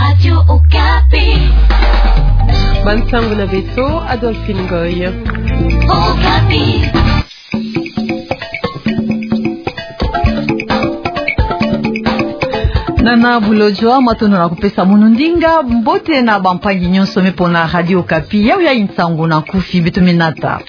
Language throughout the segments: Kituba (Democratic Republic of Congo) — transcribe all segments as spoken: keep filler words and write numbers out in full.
Radio Okapi. Bansangu na beto, Adolphine Ngoy. Okapi. Nana Bulojwa, matondo na kupesa munu ndinga. Mbote na bampangi nyonso me pona Radio Okapi. Yawu ya nsangu na nkufi beto me nata.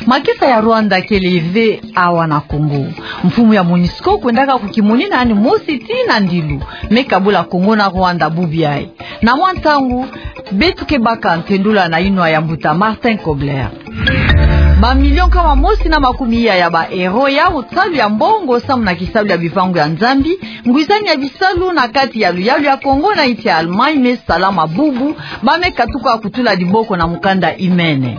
Makesa ya Rwanda kele ve awa na Kongo. Mfumu ya MONUSCO kwendaka kukimonina yandi mosi tii na ndilu me kabula Kongo na Rwanda bubu yayi. Na mwa ntangu, beto ke baka ntendula na inwa ya mbuta Martin Kobler. Ba million nkama mosi na makumi iya ya ba euro yawu salu ya mbongo samu na kisalu ya bivangu ya Nzambi, ngwizani ya bisalu na kati ya luyalu ya Kongo na insi ya Allemagne me salama bubu, ba me katuka kutula diboko na mukanda imene.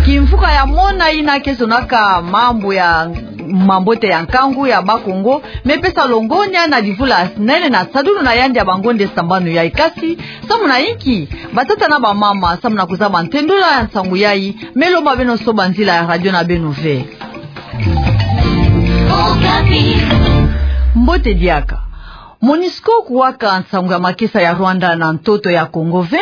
Kimvuka ya mona ina ke zonaka mambu ya mambote ya nkangu ya Bakongo, me pesa longonya na divula nene na sadulu na yandi ya bangonde sambanu yayi. Kasi, samu na inki, batata na bamama, samu na kuzaba ntendula ya nsangu yayi, me lomba beno soba nzila ya radio na beno ve. Mbote diaka. MONUSCO kuwaka nsangu ya makesa ya Rwanda na ntoto ya Kongo ve,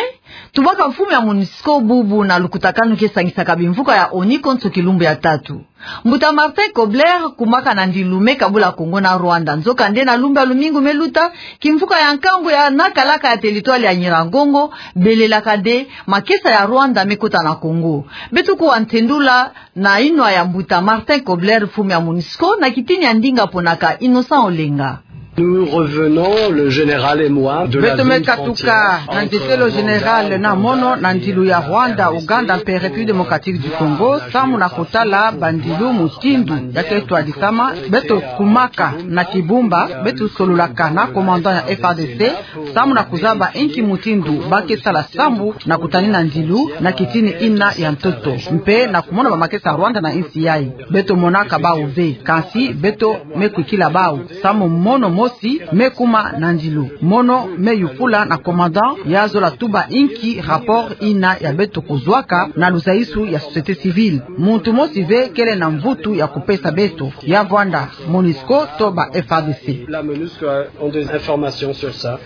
tubaka mfumu ya MONUSCO bubu na lukutakanu ke sangisaka bimvuka ya ONU konso kilumbu ya tatu. Mbuta Martin Kobler kumaka na ndilu me kabula Kongo na Rwanda. Nzokande na lumbu ya lumingu me luta, kimvuka ya nkangu ya nakalaka ya teritware ya Nyiragongo, belelaka de, makesa ya Rwanda me kota na Kongo. Beto kuwa ntendula na inwa ya mbuta Martin Kobler, mfumu ya MONUSCO, na kitini ya ndinga ponaka Innocent Olenga. Nous revenons, le général et moi, de la zone frontière entre Rwanda et Uganda. Beto me katuka na ntetelo général na mono na ndilu ya Rwanda, Uganda mpe République démocratique du Congo, samu na kutala bandilu mutindu ya ke twadisama. Beto kumaka na Kibumba, beto sololaka na commandant ya F A R D C, samu na kuzaba inki mutindu ba ke sala sambu na kutanina ndilu na kitini ina ya ntoto, mpe na kumona bamakesa ya Rwanda na insi yayi. Beto monaka bawu ve, kansi beto me kwikila bawu, samu mono mosi me kuma na ndilu. Mono me yufula na commandant ya zola tuba inki rapport ina ya beto kuzwaka na luzaisu ya société civile. Muntu mosi ve kele na mvutu ya kupesa beto, ya vwanda MONUSCO to ba F A R D C. La MONUSCO ont des informations sur ça.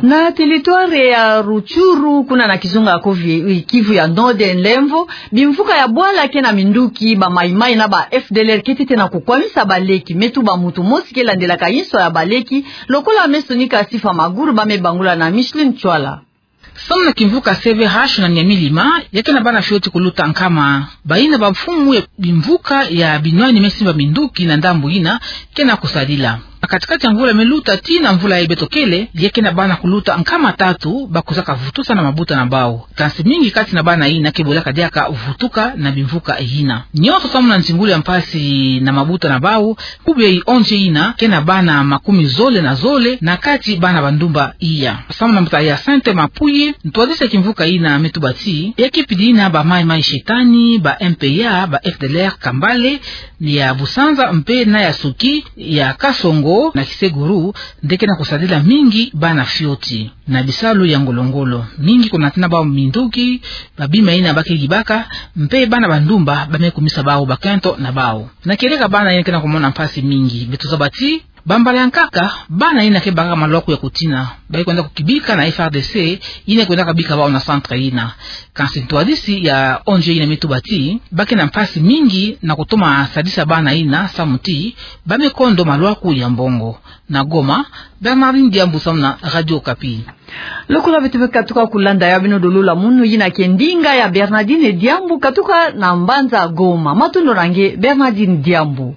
Na teritware ya Rutshuru, kuna na kizunga ko vi-, Kivu ya Nord, Lemvo, bimvuka ya bwala ke na minduki, ba Mai Mai na ba F D L R ke tete na kukwamisa baleki, me tuba muntu mosi ke landelaka inso ya baleki, lokola me sonika Sifa Maguru, ba me bangula na Micheline Tshuala. Samu na kimvuka C V H na Nyamilima, ya ke na bana fioti kuluta nkama. Bayina bamfumu ya bimvuka ya binwani me simba minduki na ndambu yina ke na kusadila. Na kati-kati ya mvula me luta tii na mvula yayi beto kele, ya ke na bana kuluta nkama tatu ba kuzaka vutusa na mabuta na bawu. Kansi mingi kati na bana yina ke bolaka diaka vutuka na bimvuka yina. Nyonso samu na nzingulu ya mpasi na mabuta na bawu, kubu ya yi O N G yina ke na bana makumi zole na zole, na kati bana bandumba iya. Samu na mbuta Hyacinthe Mapuyi, ntwadisi ya kimvuka yina, me tuba ti, ya ke pidi yina ba Mai Mai Shetani, ba M P A, ba F D L R Kambale, ya Busanza mpe na ya Suki, ya Kasongo na Kiseguru, nde ke na kusadila mingi bana fioti na bisalu ya ngolo-ngolo. Mingi kunatina bawu minduki, babima yina ba ke yibaka, mpe bana bandumba ba me kumisa bawu bakento na bawu. Na kieleka bana yina ke na kumona mpasi mingi, beto zaba ti, bambala ya nkaka, bana yina ke baka malwaku ya kutina, ba ke kwenda kukibika na F A R D C, yina kwendaka bika bawu na centre yina. Kansi ntwadisi ya O N G yina me tuba ti, ba ke na mpasi mingi na kutoma sadisa bana yina samu ti, ba me kondo malwaku ya mbongo. Na Goma, Bernardine Diambu samu na Radio Okapi. Lokola beto me katuka kulanda ya beno dolula munu, yina ke ndinga ya Bernardine Diambu katuka na mbanza Goma. Matondo na nge, Bernardine Diambu.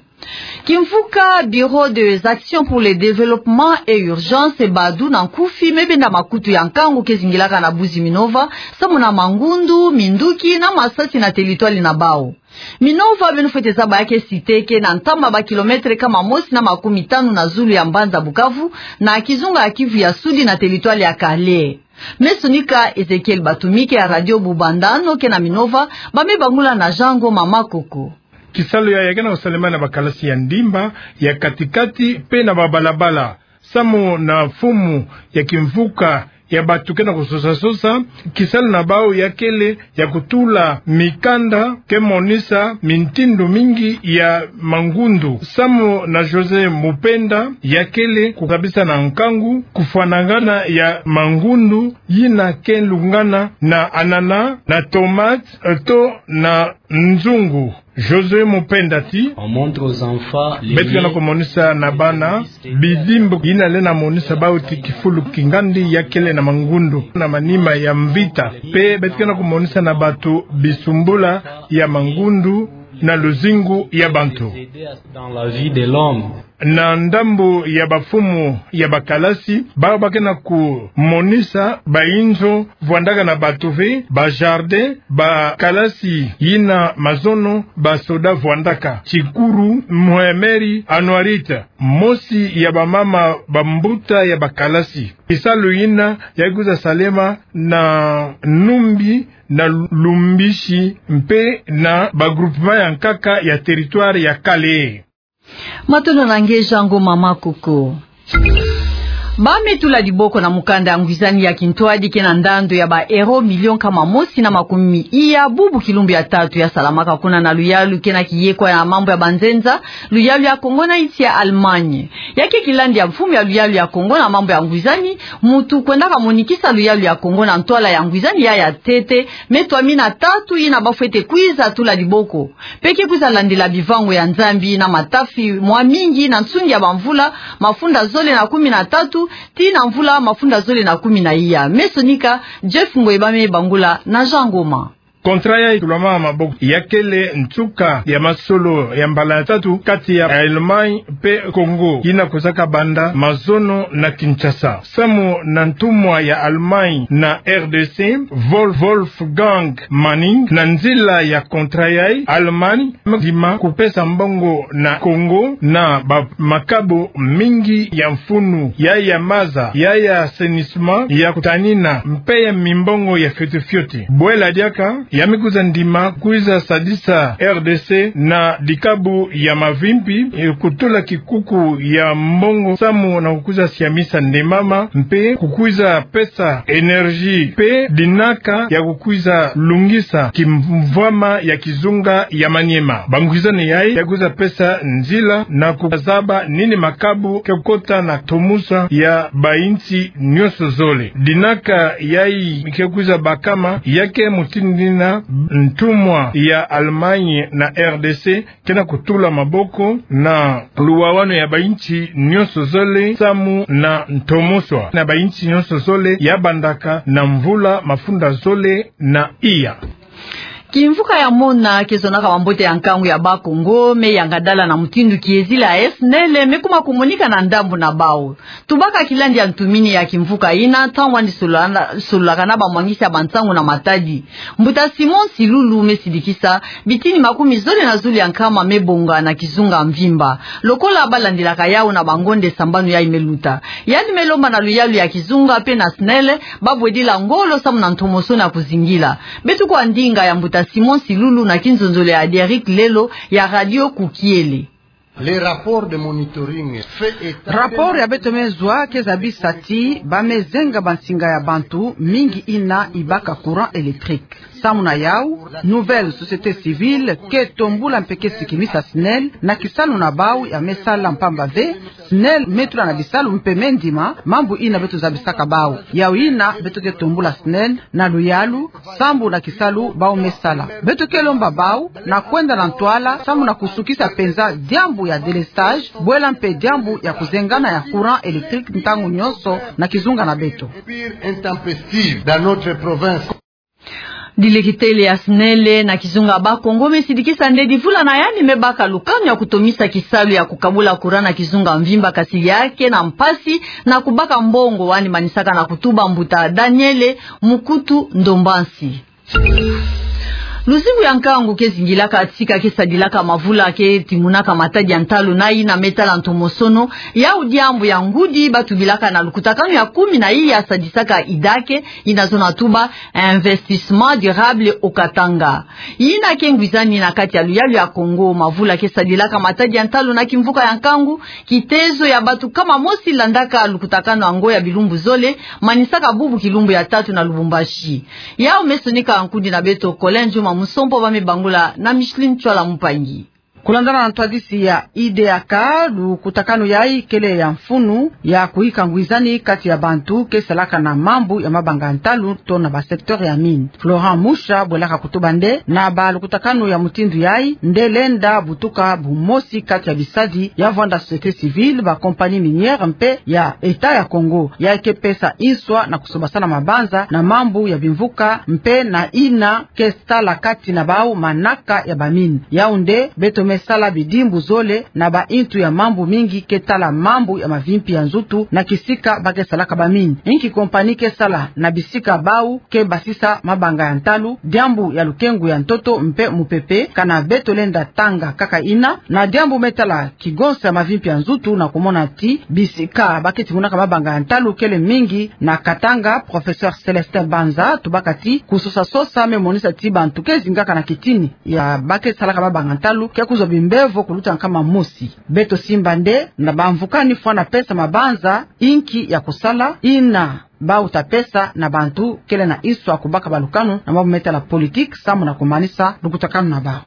Kimvuka Bureau des Actions pour le Développement et Urgence, BADU na nkufi, me benda makutu ya nkangu ke zingilaka na Buzi Minova, samu na mangundu, minduki na masasi na teritware na bawu. Minova, beno fwete zaba ya ke site ke na ntama ba kilometre kama mosi na makumi tanu na zulu ya mbanza Bukavu, na kizunga ya Kivu ya Sudi na teritware ya Kale. Me sonika Ezekiel Batumike ya Radio Bubandano ke na Minova, ba me bangula na Jean Ngoma Makoko. Kisalu yayi ya ke na kusalema na bakalasi ya ndimba, ya kati-kati, mpe na babalabala. Samu na mfumu ya kimvuka ya bato ke na kusosa-sosa, kisalu na bau ya kele ya kutula mikanda ke monisa mintindo mingi ya mangundu. Samu na José Mupenda, ya kele kukabisa na nkangu kufwanangana ya mangundu yina ke lungana na anana, na tomate, eh, to na nzungu. José Mupenda ti: On montre aux enfants les beto ke na kumonisa na bana bidimbu yina lenda monisa bau ti kifulu kingandi ya kele na mangundu na manima ya mvita. Mpe beto ke na kumonisa na bato bisumbula ya mangundu na luzingu ya bantu. Dans la vie de l'homme. Na ndambu ya bamfumu ya bakalasi, bau ba ke na kumonisa bainzo vwandaka na bato ve, bajardin, bakalasi yina mazono basoda vwandaka. Tikuru Mhemeri Anuarite, mosi ya bamama bambuta ya bakalasi. Kisalu yina ya kwiza salema na Numbi, na Lumbisi, mpe na bagroupement ya nkaka ya territoire ya Kale. Matondo na nge Jean Ngoma Makoko. Ba me tula diboko na mukanda ya ngwizani ya kintwadi ke na ndando ya ba euro million nkama mosi na makumi iya, bubu kilumbu ya tatu ya salamaka kuna na luyalu ke na kiyekwa ya mambu ya banzenza, luyalu ya Kongo na insi ya Allemagne. Ya ke kilandi ya mfumu ya luyalu ya Kongo na mambu ya ngwizani, muntu kwendaka monikisa luyalu ya Kongo na ntwala ya ngwizani ya ya ntete, me twamina tatu yina ba fwete kwiza tula diboko. Mpe ke kwiza landila bivango ya Nzambi na matafi mwa mingi na nsungi ya bamvula mafunda zole na kumi na tatu, tii na mvula mafunda zole na kumi na iya. Me sonika, Jeff Ngoi ba me bangula na Jean Ngoma. Contrat yayi tulama maboko ya kele nsuka ya masolo ya mbala ya tatu kati ya Allemagne mpe Congo, yina kwizaka banda mazono na Kinshasa. Samu na ntumwa ya Allemagne na R D C, Wolf-, Wolfgang Manning, na nzila ya contrat yayi, Allemagne me ndima kupesa mbongo na Congo na ba makabo mingi ya mfunu, ya ya maza, ya ya assainissement, ya kutanina, mpe ya mimbongo ya fioti fioti. Bwela diaka, ya me kwiza ndima kwiza sadisa R D C na dikabu ya mavimpi, eh, kutula kikuku ya mbongo samu na kukwiza siamisa nde mama, mpe kukwiza pesa énergie mpe dinaka ya kukwiza lungisa kimvwama ya kizunga ya Maniema. Bangwizani yayi ya kwiza pesa nzila na kuzaba nini makabu ke kota na ntomoso ya bainsi nyonso zole. Dinaka yayi ke kwiza bakama, ya ke mutindu yina ntumwa ya Allemagne na R D C ke na kutula maboko na luwawanu ya bainsi nyonso zole samu na ntomoso na bainsi nyonso zole ya bandaka na mvula mafunda zole na iya. Kimvuka ya mona ke zonaka bambote ya nkangu ya Bakongo, me yangadala na mutindu kiezila ya SNEL, me kuma kumonika na ndambu na bau. Tubaka kilandi ya ntumini ya kimvuka yina, ntangu yandi sololana-, sololaka na bamwangisi ya bansangu na Matadi. Mbuta Simon Silulu me sidikisa, bitini makumi zole na zole ya nkama me bonga na kizunga mvimba. Lokola ba landilaka yawu na bangonde sambanu yayi me luta. Yandi me lomba na luyalu ya kizunga mpe na SNEL, ba bwedila ngolo samu na ntomoso na kuzingila. Beto kua ndinga ya mbuta Simon Silulu na kinzonzolo ya Aderic Lelo ya Radio Kukiele. Les rapports de monitoring fait état. Rapport ya beto me zwa ke zabisa ti ba me zenga bansinga ya bantu mingi yina ibaka courant électrique. Samu na yawu, Nouvelle Société Civile ke tombula mpe ke sikimisa SNEL na kisalu na bawu ya me sala mpamba ve, SNEL me tula na bisalu mpe me ndima mambu yina beto zabisaka bawu. Yawu yina beto ke tombula SNEL na luyalu, sambu na kisalu bawu me sala. Beto ke lomba bawu na kwenda na ntwala, samu na kusukisa mpenza diambu ya délestage, bwela mpe diambu ya kuzengana ya courant électrique ntangu nyonso na kizunga na beto. Pire intempestive dans notre province. Dilekitele ya SNEL na kizunga Bakongo me sidikisa nde divula na yandi me baka lukanu ya kutomisa kisalu ya kukabula courant na kizunga mvimba, kasi ya ke na mpasi na kubaka mbongo, wani manisaka na kutuba mbuta Daniele Mukutu Ndombansi. Luzingu ya nkangu ke zingilaka tika ke sadilaka mavula ke timunaka matadi ya ntalu na ina me tala ntomosono, yau diambu ya ngudi ba tubilaka na lukutakanu ya kumi na iya sadisaka idake, ina zona tuba investissement durable au Katanga. Ina ke ngwizani na kati ya luyalu ya Kongo, mavula ke sadilaka matadi ya ntalu na kimvuka ya nkangu, kitezo ya bato kama mosi landaka lukutakanu yango ya bilumbu zole, manisaka bubu kilumbu ya tatu na Lubumbashi. Yau me sonika nkundi na beto Colin Juma Musompo, ba me bangula na Micheline Tswala Mpangi. Kulandana na ntwadisi ya I D A K, lukutakanu yai kele ya mfunu ya kuyika ngwizani kati ya bantu ke salaka na mambu ya mabanga ya ntalu to na ba secteur ya mine. Florent Musha bwelaka kutuba nde na ba lukutakanu ya mutindu yai nde lenda butuka bumosi kati ya bisadi ya vwanda société civile, ba compagnie minière mpe ya État ya Kongo. Yai ke pesa inswa na kusobasana mabanza na mambu ya bimvuka mpe na ina ke sala kati na bau manaka ya ba mine. Yau nde beto me sala bidimbu zole na ba intu ya mambu mingi ke tala mambu ya mavimpi ya nzutu na kisika ba ke salaka ba mine. Inki compagnie ke sala na bisika bau ke basisa mabanga ya ntalu, diambu ya lukengu ya ntoto mpe mupepe, kana beto lenda tanga kaka ina, na diambu me tala kigonsa ya mavimpi ya nzutu na kumona ti bisika ba ke timunaka mabanga ya ntalu kele mingi na Katanga. Professeur Célestin Banza tubaka ti kusosa sosa me monisa ti bantu ke zingaka na kitini ya ba ke salaka mabanga ntalu ke kuzwa bimbevo kuluta nkama mosi. Beto simba nde na bamvuka ni fwana pesa mabanza inki ya kusala, ina bau ta pesa na bantu kele na inswa kubaka balukanu na mambu me tala politique, samu na kumanisa lukutakanu na bau.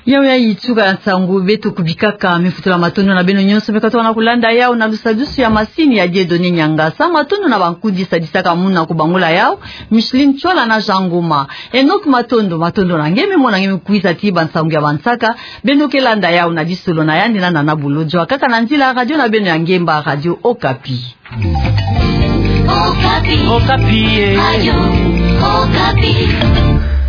Yau yai tuka ya nsangu beto kubikaka. Mifutula matondo na beno nyonso me katuka na kulanda yau na lusadusu ya masini ya Dieudonné Niangasa. Matondo na bankundi sadisaka muna kubangula yau, Micheline Tswala na Jean Ngoma. Enoch Matondo, matondo na nge, me mona nge me kwiza ti bansangu ya bansaka. Beno ke landa yau na disolo na yandi na Nana Bolodjwa, kaka na nzila radio na beno ya ngemba, Radio Okapi. Okapi. Okapi, eh. Radio Okapi.